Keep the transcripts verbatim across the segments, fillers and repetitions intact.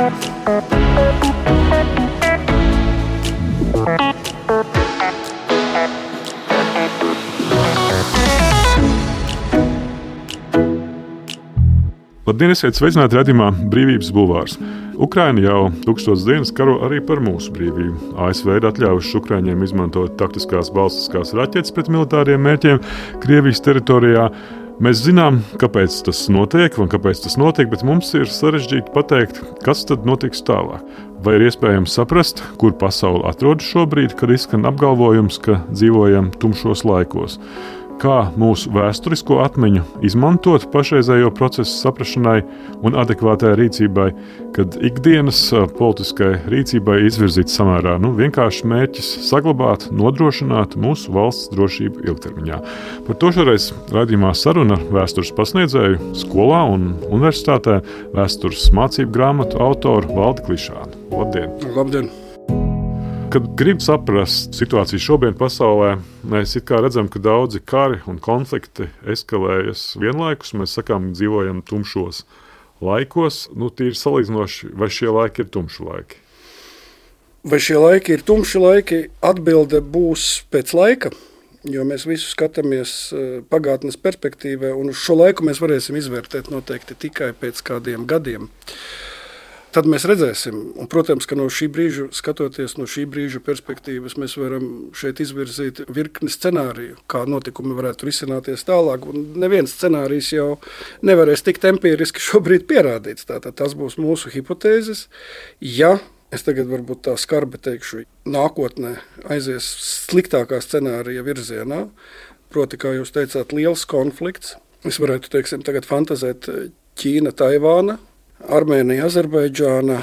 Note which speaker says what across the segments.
Speaker 1: Labdien, esiet sveicināti redzījumā Brīvības bulvārs. Ukraina jau tūkstotis dienas karo arī par mūsu brīvību. A S V ir atļāvuši Ukraiņiem izmantot taktiskās balstiskās raķetes pret militāriem mērķiem Krievijas teritorijā. Mēs zinām, kāpēc tas notiek un kāpēc tas notiek, bet mums ir sarežģīti pateikt, kas tad notiks tālāk. Vai ir iespējams saprast, kur pasaule atrodas šobrīd, kad izskan apgalvojums, ka dzīvojam tumšos laikos? Kā mūsu vēsturisko atmiņu izmantot pašreizējo procesu saprašanai un adekvātai rīcībai, kad ikdienas politiskai rīcībai izvirzīts samērā nu, vienkārši mērķis saglabāt, nodrošināt mūsu valsts drošību ilgtermiņā. Par to šoreiz raidījumā saruna ar vēstures pasniedzēju skolā un universitātē, vēstures mācību grāmatu autoru Valdi Klišānu. Labdien!
Speaker 2: Labdien!
Speaker 1: Kad grib saprast situāciju šobrīd pasaulē, mēs it kā redzam, ka daudzi kari un konflikti eskalējas vienlaikus. Mēs sakām, dzīvojam tumšos laikos. Nu, tīri salīdzinoši, vai šie laiki ir tumši laiki?
Speaker 2: Vai šie laiki ir tumši laiki? Atbilde būs pēc laika, jo mēs visu skatāmies pagātnes perspektīvā, un uz šo laiku mēs varēsim izvērtēt noteikti tikai pēc kādiem gadiem. Tad mēs redzēsim, un, protams, ka no šī brīža, skatoties no šī brīža perspektīvas, mēs varam šeit izvirzīt virkni scenāriju, kā notikumi varētu risināties tālāk, un neviens scenārijs jau nevarēs tikt empiriski šobrīd pierādīts. Tātad tas būs mūsu hipotēzes. Ja, es tagad varbūt tā skarbi teikšu, nākotnē aizies sliktākā scenārija virzienā, proti, kā jūs teicāt, liels konflikts, es varētu, teiksim, tagad fantazēt Ķīna, Taivāna, Armēnija, Azerbaidžāna,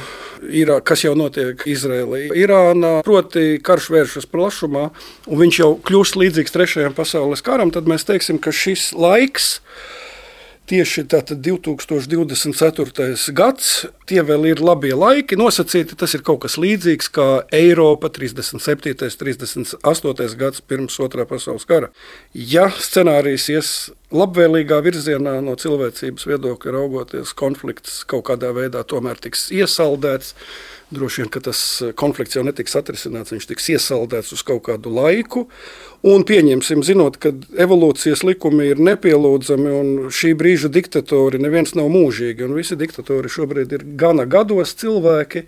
Speaker 2: Irā, kas jau notiek Izrēlī, Irānā, proti karš vēršas plašumā, un viņš jau kļūst līdzīgs trešajam pasaules karam, tad mēs teiksim, ka šis laiks, tieši tātad divi tūkstoši divdesmit ceturtais gads, tie vēl ir labie laiki, nosacīti, tas ir kaut kas līdzīgs kā Eiropa trīsdesmit septītais, trīsdesmit astotais gads pirms otrā pasaules kara. Ja scenārijs ies labvēlīgā virzienā no cilvēcības viedokļa raugoties, konflikts kaut kādā veidā tomēr tiks iesaldēts, droši vien, ka tas konflikts jau netiks atrisināts, viņš tiks iesaldēts uz kaut kādu laiku, un pieņemsim, zinot, ka evolūcijas likumi ir nepielūdzami, un šī brīža diktatori neviens nav mūžīgi, un visi diktatori šobrīd ir gana gados cilvēki,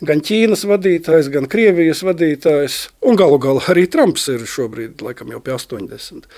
Speaker 2: gan Ķīnas vadītājs, gan Krievijas vadītājs, un galu galā arī Trumps ir šobrīd, laikam jau pie astoņdesmit.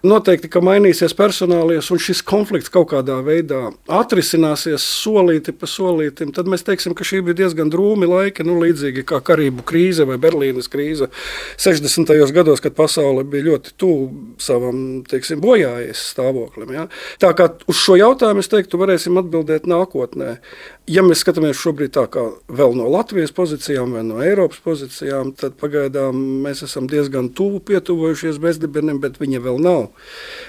Speaker 2: Noteikti, ka mainīsies personālies, un šis konflikts kaut kādā veidā atrisināsies solīti pa solītim, tad mēs teiksim, ka šī bija diezgan drūmi laiki, nu līdzīgi kā Karību krīze vai Berlīnes krīze sešdesmitajos gados, kad pasaule bija ļoti tuvu savam, teiksim, bojājies stāvoklim. Ja? Tā kā uz šo jautājumu, es teiktu, varēsim atbildēt nākotnē. Ja mēs skatāmies šobrīd tā kā vēl no Latvijas pozīcijām vai no Eiropas pozīcijām, tad pagaidām mēs esam diezgan tuvu pietuvojušies bezdibenim, bet viņa vēl nav.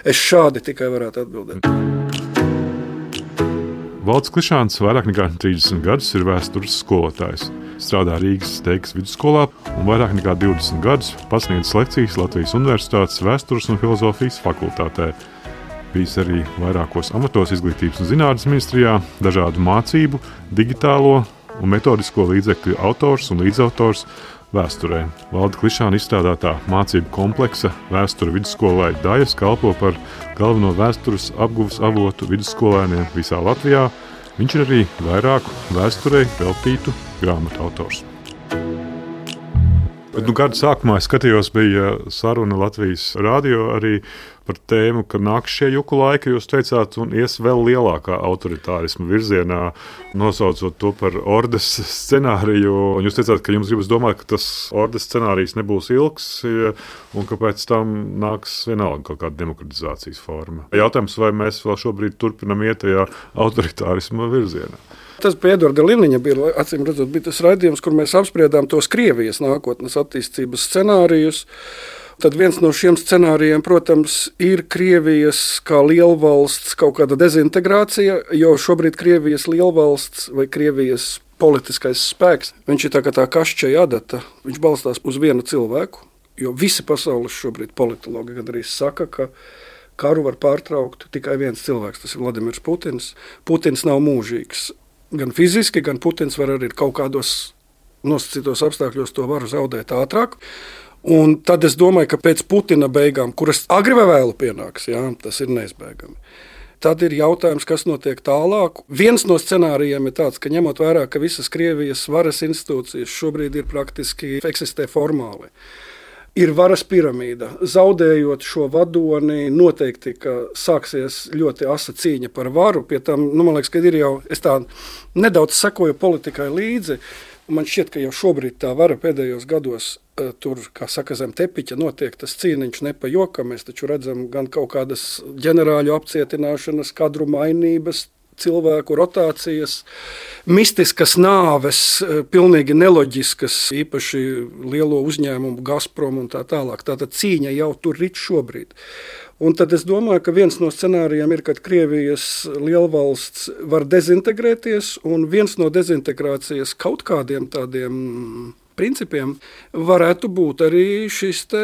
Speaker 2: Es šādi tikai varētu atbildēt.
Speaker 1: Valds Klišāns vairāk nekā trīsdesmit gadus ir vēstures skolotājs. Strādā Rīgas Steigas vidusskolā un vairāk nekā divdesmit gadus pasniedz lekcijas Latvijas Universitātes vēstures un filozofijas fakultātē. Bijis arī vairākos amatos izglītības un zinātnes ministrijā, dažādu mācību, digitālo un metodisko līdzekļu autors un līdzautors vēsturē. Valda Klišāna izstrādātā mācību kompleksa Vēsture vidusskolai Dajas kalpo par galveno vēstures apguves avotu vidusskolēniem visā Latvijā. Viņš ir arī vairāku vēsturei veltītu grāmatu autors. Bet, nu, gada sākumā es skatījos, bija saruna Latvijas radio arī par tēmu, ka nāk šie juku laiki, jūs teicāt, un ies vēl lielākā autoritārisma virzienā, nosaucot to par ordes scenāriju. Un jūs teicāt, ka jums gribas domāt, ka tas ordes scenārijs nebūs ilgs, un ka pēc tam nāks vienalga kaut kāda demokratizācijas forma. Jautājums, vai mēs vēl šobrīd turpinam iet tajā autoritārisma virzienā?
Speaker 2: Tas pie Edvarda Liniņa bija, acīm redzot, bija tas raidījums, kur mēs apspriedām tos Krievijas nākotnes attīstības scenārijus. Tad viens no šiem scenārijiem, protams, ir Krievijas kā lielvalsts kaut kāda dezintegrācija, jo šobrīd Krievijas lielvalsts vai Krievijas politiskais spēks, viņš ir tā kā tā kašķeja adata, viņš balstās uz vienu cilvēku, jo visi pasaules šobrīd politologi gandrīz saka, ka karu var pārtraukt tikai viens cilvēks, tas ir Vladimirs Putins. Putins nav mūžīgs. gan fiziski, gan Putins var arī kaut kādos nosacītos apstākļos to varu zaudēt ātrāk. Un tad es domāju, ka pēc Putina beigām, kuras agri vai vēlu pienāks, jā, tas ir neizbēgami. Tad ir jautājums, kas notiek tālāk. Viens no scenārijiem ir tāds, ka ņemot vērā, ka visas Krievijas varas institūcijas šobrīd ir praktiski eksistē formāli. Ir varas piramīda. Zaudējot šo vadoni, noteikti, ka sāksies ļoti asa cīņa par varu. Pie tam, nu, man liekas, ka ir jau, es tā nedaudz sekoju politikai līdzi, un man šķiet, ka jau šobrīd tā vara pēdējos gados tur, kā saka, zem tepiķa notiek tas cīniņš ne pa jokam. Mēs taču redzam gan kaut kādas ģenerāļu apcietināšanas, kadru mainības, cilvēku rotācijas, mistiskas nāves, pilnīgi neloģiskas, īpaši lielo uzņēmumu Gazprom un tā tālāk. Tātad cīņa jau tur rit šobrīd. Un tad es domāju, ka viens no scenārijiem ir, kad Krievijas lielvalsts var dezintegrēties, un viens no dezintegrācijas kaut kādiem tādiem principiem varētu būt arī šis te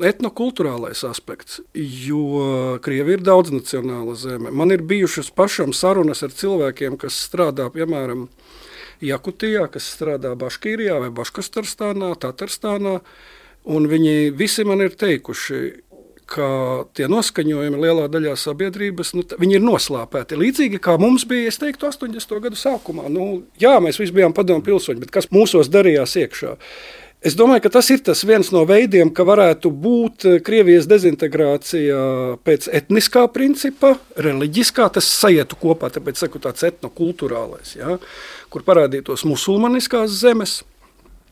Speaker 2: etnokulturālais aspekts, jo Krievija ir daudznacionāla zeme. Man ir bijušas pašam sarunas ar cilvēkiem, kas strādā, piemēram, Jakutijā, kas strādā Baškīrijā vai Baškastarstānā, Tatarstānā, un viņi visi man ir teikuši, ka tie noskaņojumi lielā daļā sabiedrības, nu, viņi ir noslāpēti. Līdzīgi kā mums bija, es teiktu, astoņdesmito gadu sākumā. Nu, jā, mēs visi bijām padomu pilsoņi, bet kas mūsos darījās iekšā? Es domāju, ka tas ir tas viens no veidiem, ka varētu būt Krievijas dezintegrācija pēc etniskā principa, reliģiskā, tas saietu kopā, tāpēc saku tāds etnokulturālais, ja, kur parādītos musulmaniskās zemes.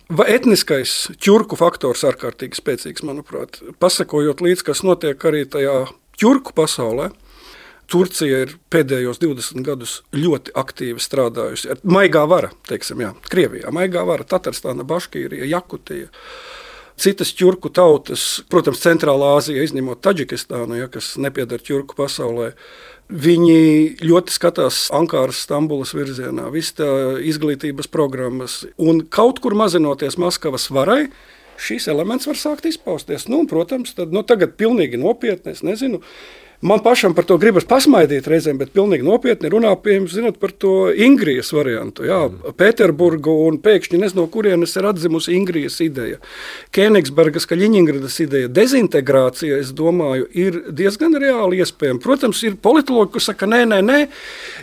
Speaker 2: Vai etniskais ķurku faktors ārkārtīgi spēcīgs, manuprāt. Pasakojot līdz, kas notiek arī tajā ķurku pasaulē, Turcija ir pēdējos divdesmit gadus ļoti aktīvi strādājusi. Maigā vara, teiksim, jā, Krievijā, maigā vara, Tatarstāna, Baškīrija, Jakutija. Citas ķurku tautas, protams, Centrālā Āzija, izņemot Taģikistānu, ja, kas nepiedar ķurku pasaulē, viņi ļoti skatās Ankāras, Stambulas virzienā, viss tā izglītības programmas, un kaut kur mazinoties Maskavas varai, šīs elements var sākt izpausties. Nu, un, protams, tad, nu, tagad pilnīgi nopietni, es nezinu, man pašam par to gribas pasmaidīt reizēm, bet pilnīgi nopietni runā, piemēram, zinot par to Ingrijas variantu. Jā, Pēterburgu un pēkšņi nezinu, no kurienes ir atzimusi Ingrijas ideja. Kēnigsbergas, Kaļiņingradas ideja. Dezintegrācija, es domāju, ir diezgan reāli iespējama. Protams, ir politologi, kas saka, nē, nē, nē,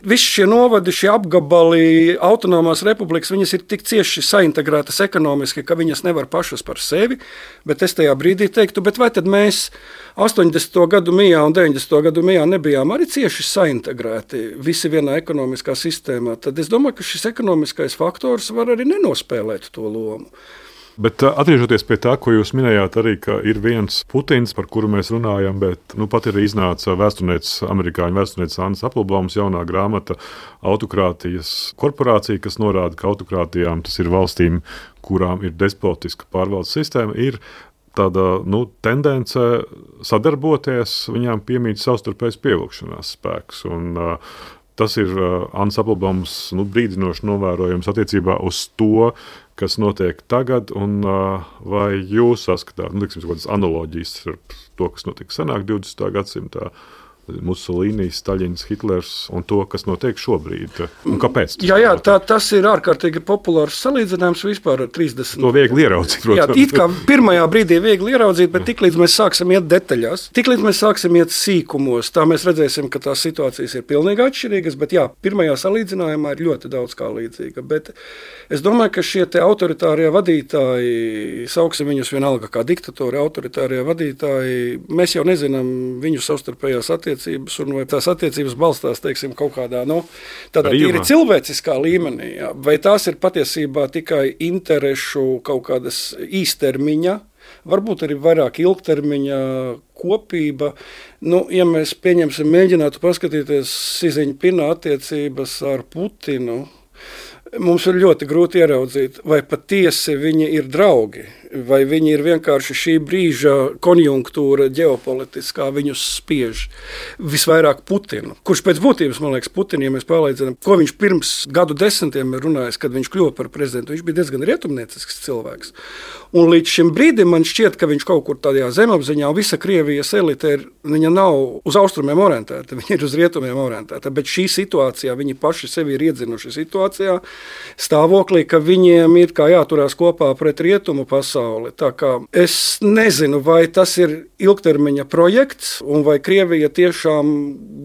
Speaker 2: visi šie novadi, šie apgabali, autonomās republikas, viņas ir tik cieši saintegrētas ekonomiski, ka viņas nevar pašas par sevi, bet es tajā brīdī teiktu, bet vai tad mēs astoņdesmito gadu mijā un deviņdesmito gadu mijā nebijām arī cieši saintegrēti visi vienā ekonomiskā sistēmā, tad es domāju, ka šis ekonomiskais faktors var arī nenospēlēt to lomu.
Speaker 1: Bet atgriežoties pie tā, ko jūs minējāt arī, ka ir viens Putins, par kuru mēs runājam, bet nu, pat ir iznāca vēsturnieces, amerikāņu vēsturnieces Annas Applebaums jaunā grāmata Autokrātijas korporācija, kas norāda, ka autokrātijām, tas ir valstīm, kurām ir despotiska pārvaldes sistēma, ir tāda nu, tendence sadarboties, viņām piemīt savstarpējas pievilkšanās spēks. Un, uh, tas ir uh, Annas Applebaums nu, brīdinoši novērojums attiecībā uz to, kas notiek tagad, un uh, vai jūs saskatāt, nu, liksim, kādas analoģijas ar to, kas notika senāk divdesmitā gadsimtā, Musolīni, Staļins, Hitlers un to, kas notiek šobrīd. Un kāpēc?
Speaker 2: Jā, jā, tā, tas ir ārkārtīgi populārs salīdzinājums vispār ar trīsdesmit.
Speaker 1: To viegli ieraudzīt, protams.
Speaker 2: Jā, it kā pirmajā brīdī viegli ieraudzīt, bet tiklīdz mēs sāksim iet detaļās, tiklīdz mēs sāksim iet sīkumos, tā mēs redzēsim, ka tās situācijas ir pilnīgi atšķirīgas, bet jā, pirmajā salīdzinājumā ir ļoti daudz kā līdzīga. Bet es domāju, ka šie te autoritārie vadītāji, sauksim viņus vienalga kā diktatori, autoritārie vadītāji, mēs jau nezinām viņu savstarpējās attiecības, un vai tās attiecības balstās, teiksim, kaut kādā, nu, tādā tīri cilvēciskā līmenī, jā. Vai tās ir patiesībā tikai interešu kaut kādas īstermiņa, varbūt arī vairāk ilgtermiņa kopība. Nu, ja mēs pieņemsim, mēģinātu paskatīties Siziņpina attiecības ar Putinu, mums ir ļoti grūti ieraudzīt, vai patiesi viņi ir draugi. vai viņi ir vienkārši šī brīža konjunktūra ģeopolitiskā viņus spiež. Visvairāk Putinu, kurš pēc būtības, man liekas, Putinu, ja mēs pārliecinām, ko viņš pirms gadu desmitiem ir runājis, kad viņš kļuva par prezidentu, viņš bija diezgan rietumniecisks cilvēks. Un līdz šim brīdim man šķiet, ka viņš kaut kur tādā zemapziņā, un visa Krievijas elite ir, viņa nav uz austrumiem orientēta, viņa ir uz rietumiem orientēta, bet šī situācijā, viņi paši sevi ir iedzinuši situācijā, stāvoklī, ka viņiem ir kā jāturās kopā pret rietumu pasauli. Tā kā es nezinu, vai tas ir ilgtermiņa projekts, un vai Krievija tiešām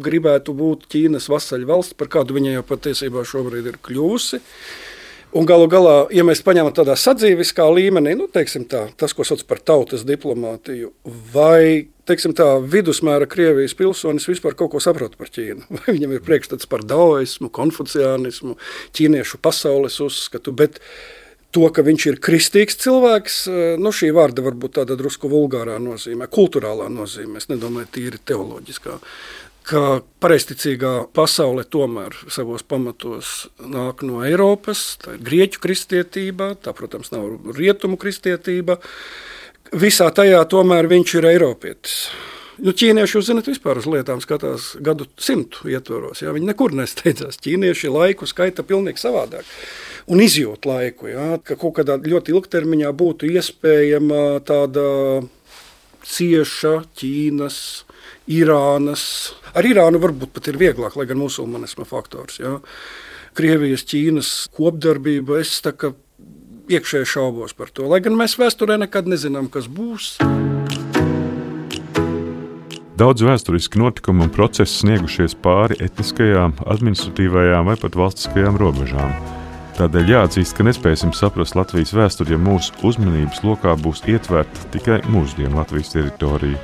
Speaker 2: gribētu būt Ķīnas vasaļu valsts, par kādu viņa jau patiesībā šobrīd ir kļūsi. Un galu galā, ja mēs paņemam tādā sadzīviskā līmenī, nu, teiksim tā, tas, ko sauc par tautas diplomātiju, vai, teiksim tā, vidusmēra Krievijas pilsonis vispār kaut ko saprot par Ķīnu. Vai viņam ir priekšstats par daoismu, konfuciānismu, ķīniešu pasaules uzskatu, bet to, ka viņš ir kristīgs cilvēks, nu, šī vārda varbūt tāda drusku vulgārā nozīmē, kulturālā nozīmē, es nedomāju tīri teoloģiskā. Ka pareizticīgā pasaule tomēr savos pamatos nāk no Eiropas, tā ir grieķu kristietība, tā, protams, nav rietumu kristietība. Visā tajā tomēr viņš ir eiropietis. Nu, ķīnieši, jūs zināt, vispār uz lietām skatās gadu simtu ietvaros. Jā, viņi nekur nesteidzās. Ķīnieši laiku skaita pilnīgi savādāk. Un izjūt laiku, jā, ka kaut kādā ļoti ilgtermiņā būtu iespējama tāda cieša Ķīnas, Irānas. Ar Irānu varbūt pat ir vieglāk, lai gan musulmanisma faktors. Jā. Krievijas, Ķīnas kopdarbība, es tā kā iekšēji šaubos par to. Lai gan mēs vēsturē nekad nezinām, kas būs.
Speaker 1: Daudz vēsturiski notikumi un procesi sniegušies pāri etniskajām, administratīvajām vai pat valstiskajām robežām. Tādēļ jāatzīst, ka nespēsim saprast Latvijas vēsturi, ja mūsu uzmanības lokā būs ietverta tikai mūsdienu Latvijas teritorija.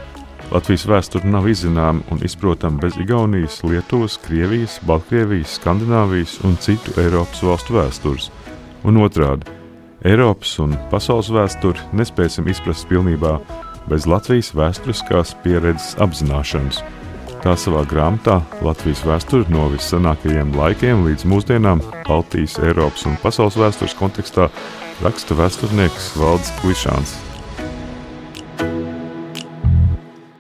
Speaker 1: Latvijas vēsture nav izzināma un izprotama bez Igaunijas, Lietuvas, Krievijas, Baltkrievijas, Skandināvijas un citu Eiropas valstu vēstures. Un otrādi, Eiropas un pasaules vēsturi nespēsim izprast pilnībā bez Latvijas vēsturiskās pieredzes apzināšanas. Tā savā grāmatā Latvijas vēsture no vissenākajiem laikiem līdz mūsdienām Baltijas, Eiropas un pasaules vēstures kontekstā raksta vēsturnieks Valdis Klišāns.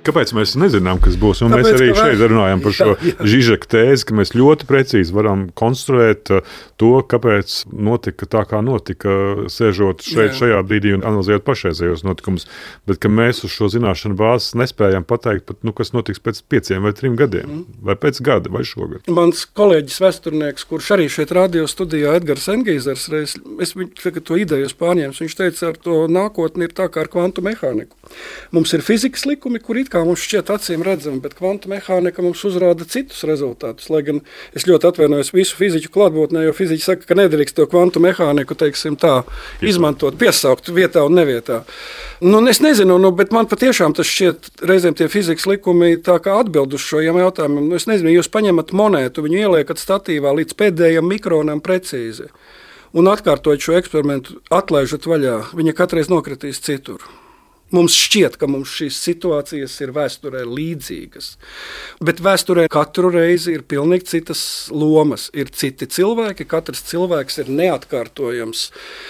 Speaker 1: Kāpēc mēs nezinām, kas būs? Un Tāpēc, mēs arī šeit runājam par šo jā, jā. Žižeka tēzi, ka mēs ļoti precīzi varam konstruēt to, kāpēc notika tā, kā notika, sēžot šeit, jā. šajā brīdī un analizējot pašreizējos notikumus. Bet ka mēs uz šo zināšanu bāzes nespējam pateikt, pat, nu, kas notiks pēc pieciem vai trim gadiem, mm. vai pēc gada, vai šogad.
Speaker 2: Mans kolēģis vēsturnieks, kurš arī šeit radio studijā Edgars Engīzers, reiz, es viņu to ideju pārņēmu, viņš teica, ar to nākotni ir tā kā ar kvantu mehāniku. Mums ir fizikas likumi, kur it kā mums šķiet acīm redzami, bet kvantu mehānika mums uzrāda citus rezultātus. Lai gan es ļoti atvainojos visu fiziķu klātbūtnē, jo fiziķi saka, ka nedrīkst to kvantu mehāniku, teiksim tā, izmantot, piesaukt vietā un nevietā. Nu, es nezinu, nu, bet man patiešām tas šķiet reizēm tie fizikas likumi tā kā atbild uz šo jautājumiem. Nu, es nezinu, jūs paņemat monētu, viņu ieliekat statīvā līdz pēdējam mikronam precīzi un atkārtojot šo eksperimentu, atlaižat vaļā, viņa katreiz nokritīs citur. Mums šķiet, ka mums šīs situācijas ir vēsturē līdzīgas, bet vēsturē katru reizi ir pilnīgi citas lomas. Ir citi cilvēki, katrs cilvēks ir neatkārtojams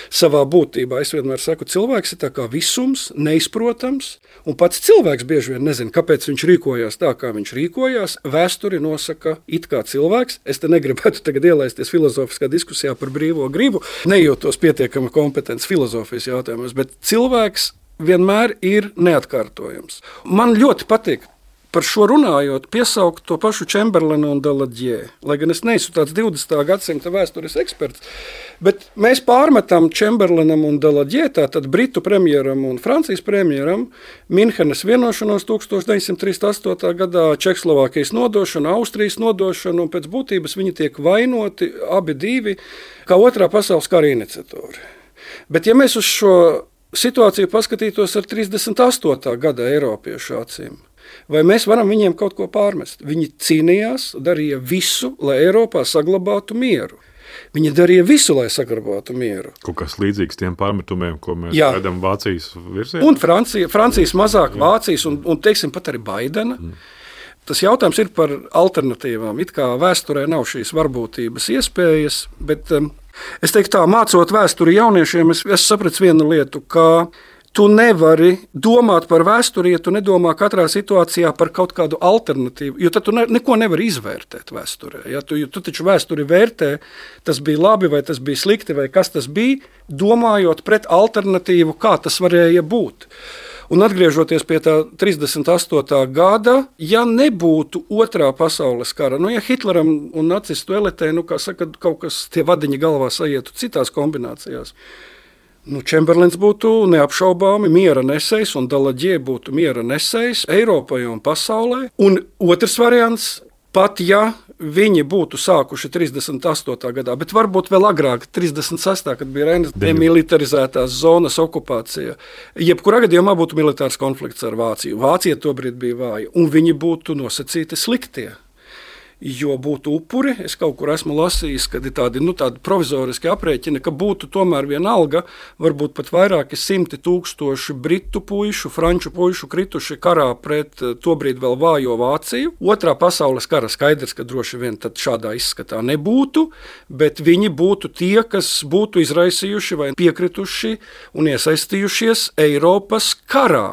Speaker 2: savā būtībā. Es vienmēr saku, cilvēks ir tā kā visums, neizprotams, un pats cilvēks bieži vien nezina, kāpēc viņš rīkojās tā, kā viņš rīkojās. Vēsturi nosaka it kā cilvēks. Es te negribētu tagad ielaisties filozofiskā diskusijā par brīvo gribu, nejūtos pietiekami kompetents filozofijas jautājumos, bet cilvēks vienmēr ir neatkārtojams. Man ļoti patīk par šo runājot, piesaukt to pašu Čemberlenu un Daladiē. Lai gan es neesmu tāds divdesmitā gadsimta vēstures eksperts, bet mēs pārmetam Čemberlenam un Daladiē, tātad Britu premjeram un Francijas premjeram, Minhenes vienošanos tūkstoš deviņsimt trīsdesmit astotajā gadā, Čehoslovākijas nodošanu, Austrijas nodošanu, un pēc būtības viņi tiek vainoti abi divi kā otrā pasaules kara iniciatori. Bet ja mēs uz šo situāciju paskatītos ar trīsdesmit astotā gada eiropiešu acīm, vai mēs varam viņiem kaut ko pārmest? Viņi cīnījās, darīja visu, lai Eiropā saglabātu mieru. Viņi darīja visu, lai saglabātu mieru.
Speaker 1: Kaut kas līdzīgs tiem pārmetumiem, ko mēs Jā. redzam Vācijas virzienā.
Speaker 2: Un Francija, Francijas mazāk, Jā. Vācijas un, un teiksim pat arī Baidena. Mm. Tas jautājums ir par alternatīvām. It kā vēsturē nav šīs varbūtības iespējas, bet um, es teiktu tā, mācot vēsturi jauniešiem, es, es sapratu vienu lietu, ka tu nevari domāt par vēsturi, ja tu nedomā katrā situācijā par kaut kādu alternatīvu, jo tad tu ne, neko nevari izvērtēt vēsturē. Ja? Tu, tu taču vēsturi vērtē, tas bija labi vai tas bija slikti vai kas tas bija, domājot pret alternatīvu, kā tas varēja būt. Un atgriežoties pie tā trīsdesmit astotā gada, ja nebūtu otrā pasaules kara, nu ja Hitleram un nacistu elitē, nu kā saka, kaut kas tie vadiņi galvā saietu citās kombinācijās, nu Čemberlins būtu neapšaubāmi miera nesējs un Daladier būtu miera nesējs Eiropai un pasaulē. Un otrs variants, pat ja viņi būtu sākuši trīsdesmit astotā gadā, bet varbūt vēl agrāk, trīsdesmit sestā kad bija Reinas demilitarizētās zonas okupācija. Jebkurā gadījumā būtu militārs konflikts ar Vāciju. Vācija tobrīd bija vāja, un viņi būtu nosacīti sliktie. Jo būtu upuri, es kaut kur esmu lasījis, kad ir tādi, nu, tādi provizoriski aprēķini, ka būtu tomēr vienalga, varbūt pat vairāki simti tūkstoši britu puišu, franču puišu krituši karā pret tobrīd vēl vājo Vāciju. Otrā pasaules kara skaidrs, ka droši vien tad šādā izskatā nebūtu, bet viņi būtu tie, kas būtu izraisījuši vai piekrituši un iesaistījušies Eiropas karā.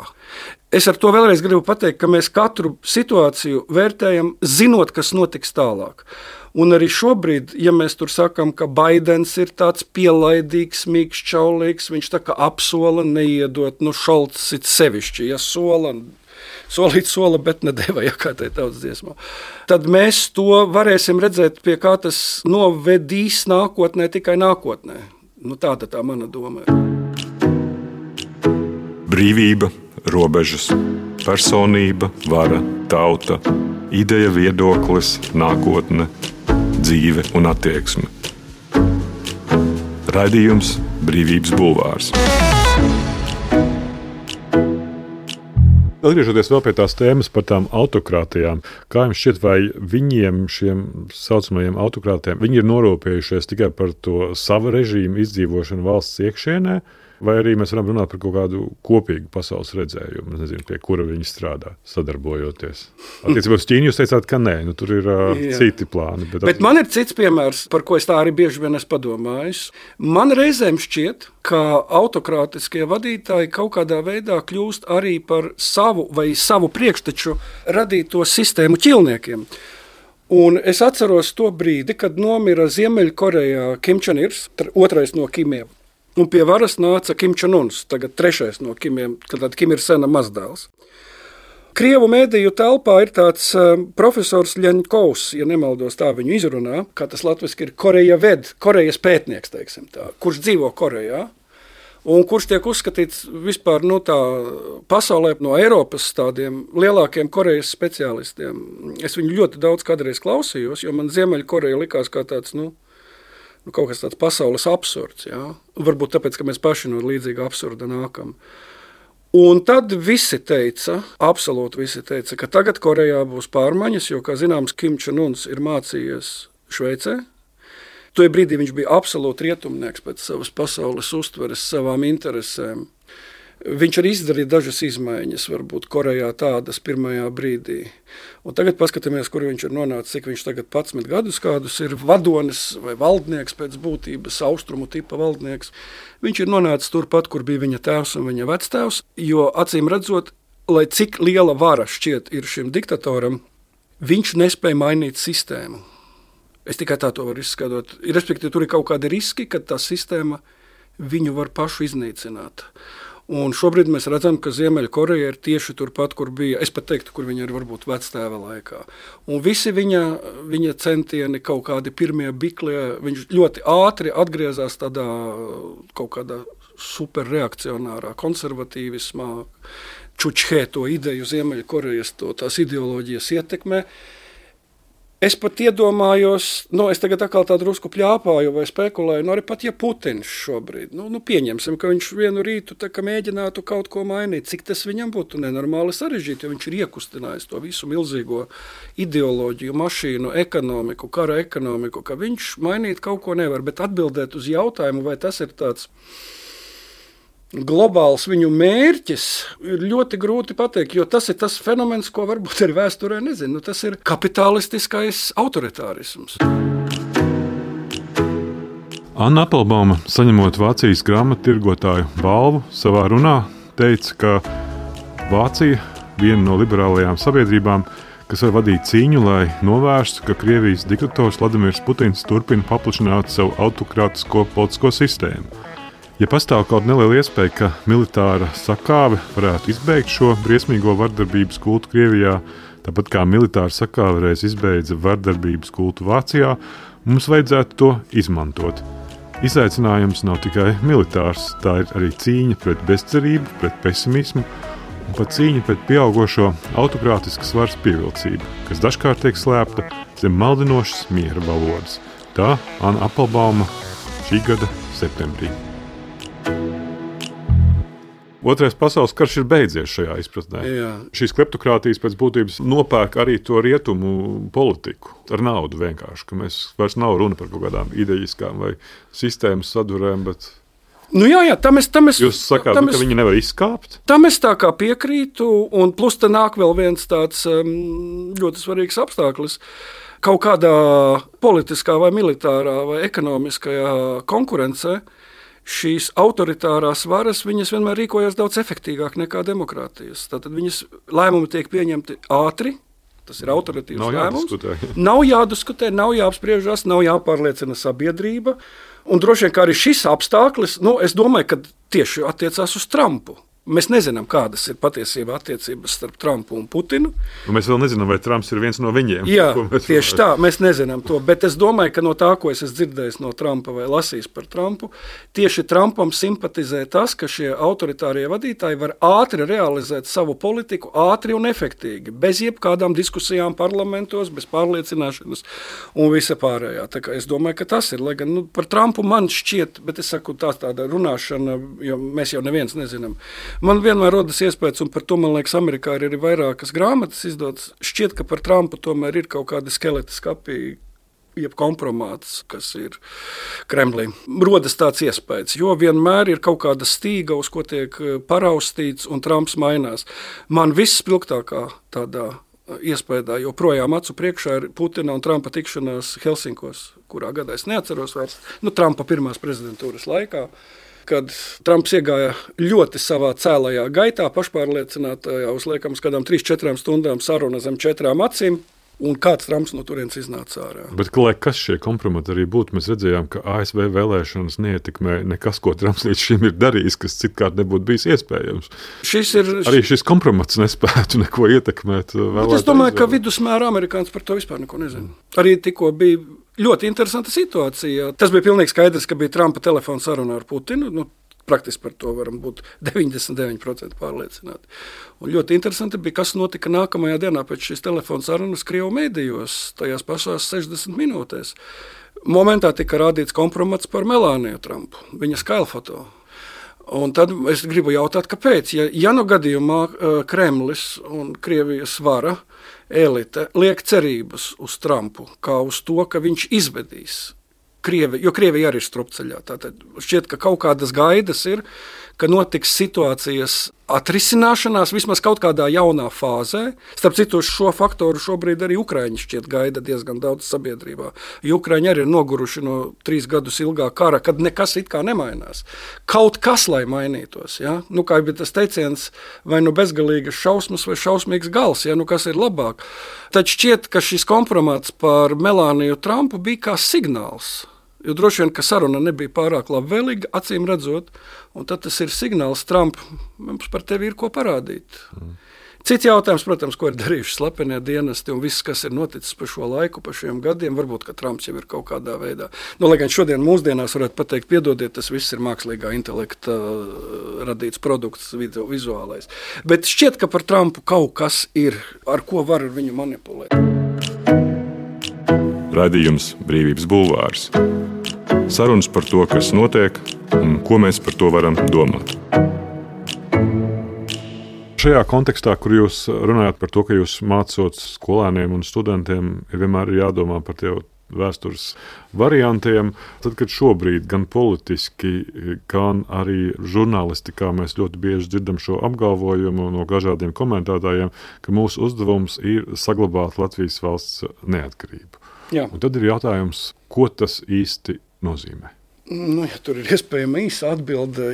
Speaker 2: Es ar to vēlreiz gribu pateikt, ka mēs katru situāciju vērtējam, zinot, kas notiks tālāk. Un arī šobrīd, ja mēs tur sakam, ka Baidens ir tāds pielaidīgs, mīkšķaulīgs, viņš tā kā apsola neiedot, nu Šolts it sevišķi, ja sola, solīt sola, bet nedeva, ja kā tai tautas dziesmā. Tad mēs to varēsim redzēt, pie kā tas novedīs nākotnē, tikai nākotnē. Nu tāda tā mana doma ir.
Speaker 1: Brīvība. Robežas, personība, vara, tauta, ideja, viedoklis, nākotne, dzīve un attieksme. Raidījums Brīvības bulvārs. Atgriežoties vēl pie tās tēmas par tām autokrātijām, kā jums šķiet, vai viņiem, šiem saucamajiem autokrātiem, viņi ir norūpējušies tikai par to savu režīmu izdzīvošanu valsts iekšienē, vai arī mēs varam runāt par kaut kādu kopīgu pasaules redzējumu, nezinu, pie kura viņi strādā, sadarbojoties. Attiecībā uz Ķīnu jūs teicāt, ka nē, nu tur ir uh, citi plāni. Bet,
Speaker 2: bet man ir cits piemērs, par ko es tā arī bieži vien esmu padomājis. Man reizēm šķiet, ka autokrātiskie vadītāji kaut kādā veidā kļūst arī par savu vai savu priekšteču radīto sistēmu ķilniekiem. Un es atceros to brīdi, kad nomira Ziemeļkorejā Kim Čen-irs, otrais no Kimiem. Un pie varas nāca Kim Čen-uns, tagad trešais no Kimiem, kad Kim ir sena mazdēls. Krievu mēdīju telpā ir tāds uh, profesors Ļeņkovs, ja nemaldos tā viņu izrunā, kā tas latviski ir Koreja ved, Korejas pētnieks, teiksim tā, kurš dzīvo Korejā, un kurš tiek uzskatīts vispār no tā pasaulē no Eiropas tādiem lielākiem Korejas speciālistiem. Es viņu ļoti daudz kādreiz klausījos, jo man Ziemeļkoreja likās kā tāds, nu, Nu, kaut kas tāds pasaules absurds, jā. Varbūt tāpēc, ka mēs paši no līdzīga absurda nākam. Un tad visi teica, absolūti visi teica, ka tagad Korejā būs pārmaiņas, jo, kā zināms, Kim Čen-uns ir mācījies Šveicē. Tajā brīdī viņš bija absolūti rietumnieks pēc savas pasaules uztveres, savām interesēm. Viņš arī izdarīja dažas izmaiņas, varbūt Korejā tādas pirmajā brīdī. Un tagad paskatāmies, kur viņš ir nonācis, cik viņš tagad padsmit gadus kādus ir vadonis vai valdnieks pēc būtības, austrumu tipa valdnieks. Viņš ir nonācis turpat, kur bija viņa tēvs un viņa vectēvs, jo acīm redzot, lai cik liela vara šķiet ir šim diktatoram, viņš nespēja mainīt sistēmu. Es tikai tā to varu izskatot. Respektīvi, tur ir kaut kādi riski, ka tā sistēma viņu var pašu iznīcināt. Un šobrīd mēs redzam, ka Ziemeļkoreja ir tieši turpat, kur bija, es pat teiktu, kur viņa ir varbūt vectēva laikā. Un visi viņa, viņa centieni kaut kādi pirmie biklie, viņš ļoti ātri atgriezās tādā kaut kādā superreakcionārā konservatīvismā, čučhē to ideju Ziemeļkorejas, to tās ideoloģijas ietekmē. Es pat iedomājos, nu, es tagad atkal tā drusku pļāpāju vai spekulēju, nu, arī pat ja Putins šobrīd, nu, nu pieņemsim, ka viņš vienu rītu tā kā mēģinātu kaut ko mainīt, cik tas viņam būtu nenormāli sarežģīti, jo viņš ir iekustinājis to visu milzīgo ideoloģiju, mašīnu, ekonomiku, kara ekonomiku, ka viņš mainīt kaut ko nevar, bet atbildēt uz jautājumu, vai tas ir tāds globāls viņu mērķis, ir ļoti grūti pateikt, jo tas ir tas fenomens, ko varbūt ar vēsturē nezinu. Tas ir kapitalistiskais autoritārisms.
Speaker 1: Anna Appelbauma, saņemot Vācijas grāmattirgotāju balvu savā runā teica, ka Vācija, viena no liberālajām sabiedrībām, kas var vadīt cīņu, lai novērstu, ka Krievijas diktators Vladimirs Putins turpina paplašināt savu autokrātisko politisko sistēmu. Ja pastāv kaut neliela iespēja, ka militāra sakāve varētu izbeigt šo briesmīgo vardarbības kultu Krievijā, tāpat kā militāra sakāve reiz izbeidza vardarbības kultu Vācijā, mums vajadzētu to izmantot. Izaicinājums nav tikai militārs, tā ir arī cīņa pret bezcerību, pret pesimismu un pat cīņa pret pieaugošo autokrātiskas varas pievilcību, kas dažkārt tiek slēpta zem maldinošas miera valodas. Tā Anna Appelbauma šī gada septembrī. Otrais pasaules karš ir beidzies šajā izpratnē.
Speaker 2: Jā.
Speaker 1: Šīs kleptokrātijas pēc būtības nopērk arī to rietumu politiku ar naudu vienkārši, ka mēs vairs nav runa par kaut kādām idejiskām vai sistēmas sadurēm, bet...
Speaker 2: Nu jā, jā, tam es... Tam es
Speaker 1: Jūs sakāt,
Speaker 2: tam
Speaker 1: ka
Speaker 2: es,
Speaker 1: viņi nevar izskāpt?
Speaker 2: Tam es tā kā piekrītu, un plus te nāk vēl viens tāds um, ļoti svarīgs apstākļus. Kaut kādā politiskā vai militārā vai ekonomiskajā konkurencē šīs autoritārās varas, viņas vienmēr rīkojas daudz efektīvāk nekā demokrātijas. Tātad viņas lēmumi tiek pieņemti ātri, tas ir autoritīvs
Speaker 1: nav
Speaker 2: lēmums.
Speaker 1: jādiskutē.
Speaker 2: Nav jādiskutē, nav jāapspriežas, nav jāpārliecina sabiedrība. Un droši vien, kā arī šis apstākļis, nu, es domāju, ka tieši attiecās uz Trumpu. Mēs nezinām, kādas ir patiesībā attiecības starp Trumpu un Putinu.
Speaker 1: Un mēs vēl nezinām, vai Trumps ir viens no viņiem.
Speaker 2: Jā, tieši tā, mēs nezinām to. Bet es domāju, ka no tā, ko es esmu dzirdējis no Trumpa vai lasījis par Trumpu, tieši Trumpam simpatizē tas, ka šie autoritārie vadītāji var ātri realizēt savu politiku, ātri un efektīgi, bez jebkādām diskusijām parlamentos, bez pārliecināšanas un visa pārējā. Tā kā es domāju, ka tas ir, lai gan nu, par Trumpu man šķiet, bet es saku tā tāda runāšana, jo mēs jau neviens nezinām. Man vienmēr rodas iespējas, un par to, man liekas, Amerikā ir arī vairākas grāmatas izdotas. Šķiet, ka par Trumpu tomēr ir kaut kādi skeleti skapī, jeb kompromāts, kas ir Kremlī. Rodas tāds iespējas, jo vienmēr ir kaut kāda stīga, uz ko tiek paraustīts, un Trumps mainās. Man viss spilgtākā tādā iespējā joprojām acu priekšā ir Putina un Trumpa tikšanās Helsinkos, kurā gadā es neatceros vairs, nu, Trumpa pirmās prezidentūras laikā, kad Trumps iegāja ļoti savā cēlajā gaitā, pašpārliecinātajā, uz liekam, uz kādām trīs četrām stundām saruna zem četrām acīm, un kāds Trumps no turienes iznāca ārā.
Speaker 1: Bet, lai kas šie kompromati arī būtu, mēs redzējām, ka A S V vēlēšanas neietekmē nekas, ko Trumps līdz šim ir darījis, kas citkārt nebūtu bijis iespējams.
Speaker 2: Šis ir...
Speaker 1: Arī šis kompromats nespētu neko ietekmēt vēlētāju.
Speaker 2: Es domāju, ka vidusmēra amerikāns par to vispār neko nezina. Arī tikko bija ļoti interesanta situācija. Tas bija pilnīgi skaidrs, ka bija Trumpa telefona saruna ar Putinu. Nu, praktiski par to varam būt deviņdesmit deviņi procenti pārliecināti. Un ļoti interesanti bija, kas notika nākamajā dienā pēc šīs telefona sarunas Krievu mēdījos, tajās pašās sešdesmit minūtēs. Momentā tika rādīts kompromats par Melāniju Trumpu, viņa skailfoto. Un tad es gribu jautāt, kāpēc? Ja, ja no gadījumā Kremlis un Krievijas vara elite liek cerības uz Trumpu, kā uz to, ka viņš izvedīs Krievi, jo Krievija arī ir strupceļā. Tātad šķiet, ka kaut kādas gaidas ir, ka notiks situācijas atrisināšanās vismaz kaut kādā jaunā fāzē. Starp citu, šo faktoru šobrīd arī Ukraiņi šķiet gaida diezgan daudz sabiedrībā. Jo Ukraiņi arī ir noguruši no trīs gadus ilgā kara, kad nekas it kā nemainās. Kaut kas, lai mainītos. Ja? Nu, kā bija tas teiciens, vai nu bezgalīgas šausmas vai šausmīgs gals, ja? Nu, kas ir labāk. Tad šķiet, ka šis kompromats par Melāniju Trumpu bija kā signāls. Jo droši vien, ka saruna nebija pārāk labvēlīga, acīm redzot, un tad tas ir signāls Trump, mums par tevi ir ko parādīt. Mm. Cits jautājums, protams, ko ir darījuši slepenie dienesti un viss, kas ir noticis pa šo laiku, pa šiem gadiem, varbūt, ka Trumps jau ir kaut kādā veidā. Nu, lai gan šodien mūsdienās varētu pateikt, piedodiet, tas viss ir mākslīgā intelekta radīts produkts vizuālais. Bet šķiet, ka par Trumpu kaut kas ir, ar ko var ar viņu manipulēt.
Speaker 3: Raidījums Brīvības bulvārs. Sarunas par to, kas notiek un ko mēs par to varam domāt.
Speaker 1: Šajā kontekstā, kur jūs runājat par to, ka jūs mācot skolēniem un studentiem, ir vienmēr jādomā par tie vēstures variantiem, tad, kad šobrīd gan politiski, gan arī žurnālistikā mēs ļoti bieži dzirdam šo apgalvojumu no dažādiem komentētājiem, ka mūsu uzdevums ir saglabāt Latvijas valsts neatkarību.
Speaker 2: Jā.
Speaker 1: Un tad ir jautājums, ko tas īsti nozīmē?
Speaker 2: Nu, ja tur ir iespējama īsa atbilde,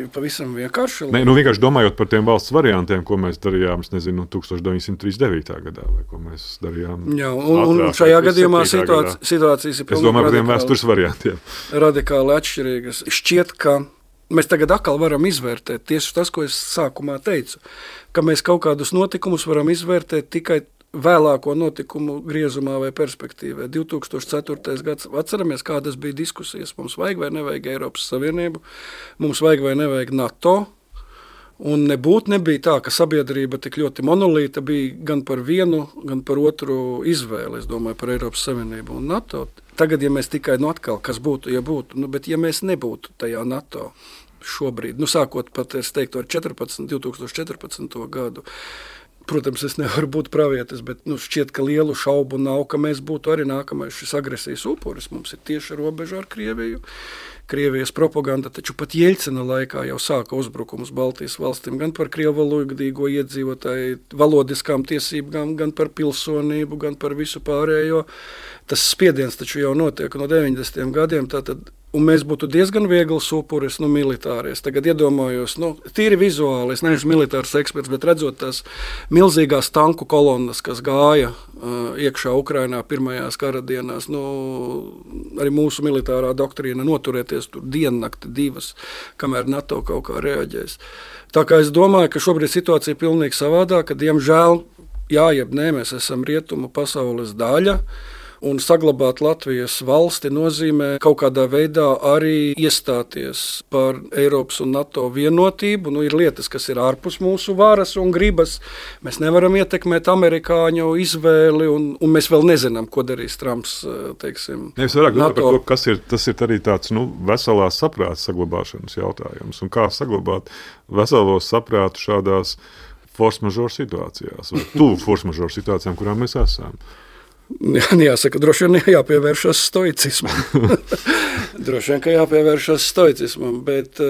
Speaker 2: pavisam vienkārši.
Speaker 1: Nē, nu vienkārši domājot par tiem valsts variantiem, ko mēs darījām, es nezinu, tusiņš deviņsimt trīsdesmit devītā gadā, vai ko mēs darījām.
Speaker 2: Jā, un, un šajā gadījumā situācija, situācijas ir
Speaker 1: pilnīgi radikāli. Es domāju par tiem vēstures variantiem.
Speaker 2: Radikāli atšķirīgas. Šķiet, ka mēs tagad atkal varam izvērtēt tieši tas, ko es sākumā teicu, ka mēs kaut kādus notikumus varam izvērtēt tikai vēlāko notikumu griezumā vai perspektīvā. divi tūkstoši ceturtais gads, atceramies, kādas bija diskusijas. Mums vajag vai nevajag Eiropas Savienību, mums vajag vai nevajag NATO, un nebūt nebija tā, ka sabiedrība tik ļoti monolīta bija gan par vienu, gan par otru izvēli, es domāju, par Eiropas Savienību un NATO. Tagad, ja mēs tikai, nu atkal, kas būtu, ja būtu, nu, bet ja mēs nebūtu tajā NATO šobrīd, nu sākot pat, es teiktu, ar četrpadsmit, divi tūkstoši četrpadsmito gadu, protams, es nevaru būt pravietis, bet nu, šķiet, ka lielu šaubu nav, ka mēs būtu arī nākamais šis agresijas upuris. Mums ir tieši robeža ar Krieviju. Krievijas propaganda taču pat Jeļcina laikā jau sāka uzbrukumus Baltijas valstīm gan par krievvalodīgo iedzīvotāju valodiskām tiesībām, gan par pilsonību, gan par visu pārējo. Tas spiediens taču jau notiek no deviņdesmitiem gadiem, tātad, un mēs būtu diezgan viegls upuris, nu, militāries. Tagad iedomājos, nu, tīri vizuāli, es neesmu militārs eksperts, bet redzot tās milzīgās tanku kolonnas, kas gāja uh, iekšā Ukrainā pirmajās kara dienās, nu, arī mūsu militārā doktrīna noturēties tur diennakti divas, kamēr NATO kaut kā reaģēs. Tā kā es domāju, ka šobrīd situācija ir pilnīgi savādāka, ka, diemžēl, jā, jeb nē, mēs esam rietumu pasaules daļa, un saglabāt Latvijas valsti nozīmē kaut kādā veidā arī iestāties par Eiropas un NATO vienotību. Nu, ir lietas, kas ir ārpus mūsu varas un gribas. Mēs nevaram ietekmēt amerikāņu izvēli, un, un mēs vēl nezinām, ko darīs Trumps, teiksim,
Speaker 1: ja es vairāk domāju par to, kas ir, tas ir arī tāds, nu, veselās saprāta saglabāšanas jautājums. Un kā saglabāt veselos saprātu šādās force majeure situācijās, vai tuvu force majeure situācijām, kurām mēs esam.
Speaker 2: Jāsaka, droši vien jāpievēršas stoicismam. droši vien, ka jāpievēršas stoicismam, bet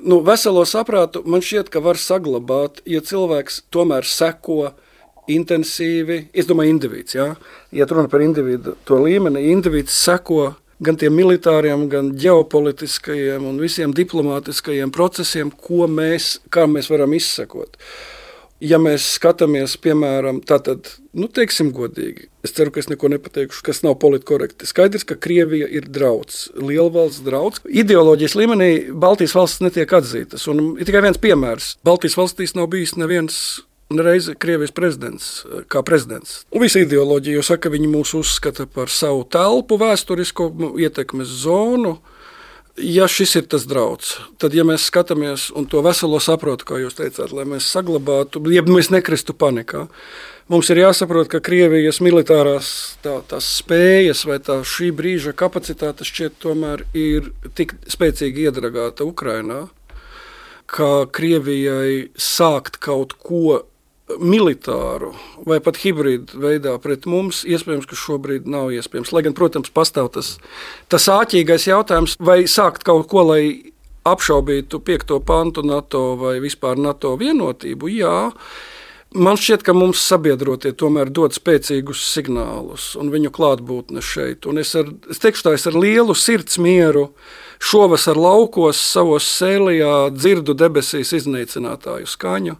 Speaker 2: nu, veselo saprātu man šķiet, ka var saglabāt, ja cilvēks tomēr seko intensīvi, es domāju, individs, jā, ja runa par individu to līmeni, individs seko gan tiem militāriem, gan ģeopolitiskajiem un visiem diplomātiskajiem procesiem, ko mēs, kā mēs varam izsekot. Ja mēs skatāmies, piemēram, tātad, nu, teiksim godīgi, es ceru, ka es neko nepateikšu, kas nav politkorekti. Skaidrs, ka Krievija ir drauds, lielvalsts drauds. Ideoloģijas līmenī Baltijas valstis netiek atzītas, un ir tikai viens piemērs. Baltijas valstīs nav bijis neviens reizi Krievijas prezidents, kā prezidents. Un visa ideoloģija jau saka, viņi mūs uzskata par savu telpu vēsturisko ietekmes zonu. Ja šis ir tas drauds, tad, ja mēs skatāmies un to veselo saprotu, kā jūs teicāt, lai mēs saglabātu, ja mēs nekristu panikā, mums ir jāsaprot, ka Krievijas militārās tā, tās spējas vai tā šī brīža kapacitāte šķiet tomēr ir tik spēcīgi iedragāta Ukrainā, ka Krievijai sākt kaut ko militāru vai pat hibrīdu veidā pret mums, iespējams, ka šobrīd nav iespējams. Lai gan, protams, pastāv tas, tas āķīgais jautājums, vai sākt kaut ko, lai apšaubītu piekto pantu NATO vai vispār NATO vienotību, jā. Man šķiet, ka mums sabiedrotie tomēr dod spēcīgus signālus un viņu klātbūtne šeit. Un es, ar, es teikšu tā, es ar lielu sirds mieru šovasar laukos savos sēlijā dzirdu debesīs iznīcinātāju skaņu.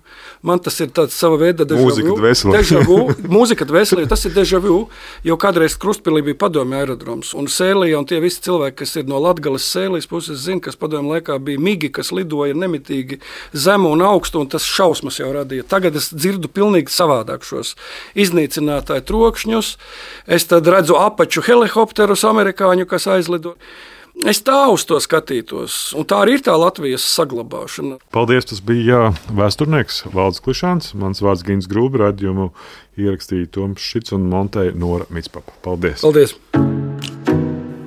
Speaker 2: Man tas ir tāds sava veida deja vu. Deja vu. Mūzika dvēselē, tas ir deja vu, jo kādreiz Krustpilī bija padomju aerodroms. Un sēlijā, un tie visi cilvēki, kas ir no Latgales sēlijas puses, zina, kas padomju laikā bija migi, kas lidoja nemitīgi zemu un augstu, un tas šausmas jau radīja. Tagad es dzirdu pilnīgi savādāk šos iznīcinātāju trokšņus. Es tad redzu apaču helikopterus amerikāņu, kas aizlido. Es tā uz to skatītos, un tā arī ir tā Latvijas saglabāšana.
Speaker 1: Paldies, tas bija jā, vēsturnieks Valdis Klišāns. Mans vārds Gins Grūbi, raidījumu ierakstīja Toms Šits un montēja Nora Mitspapa. Paldies!
Speaker 2: Paldies!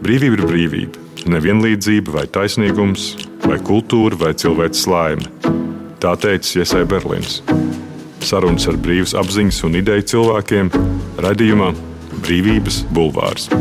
Speaker 3: Brīvība ir brīvība. Nevienlīdzība vai taisnīgums, vai kultūra vai cilvēks laime. Tā teica Iesai Berlīns. Sarunas ar brīvas apziņas un ideju cilvēkiem raidījumā Brīvības bulvārs.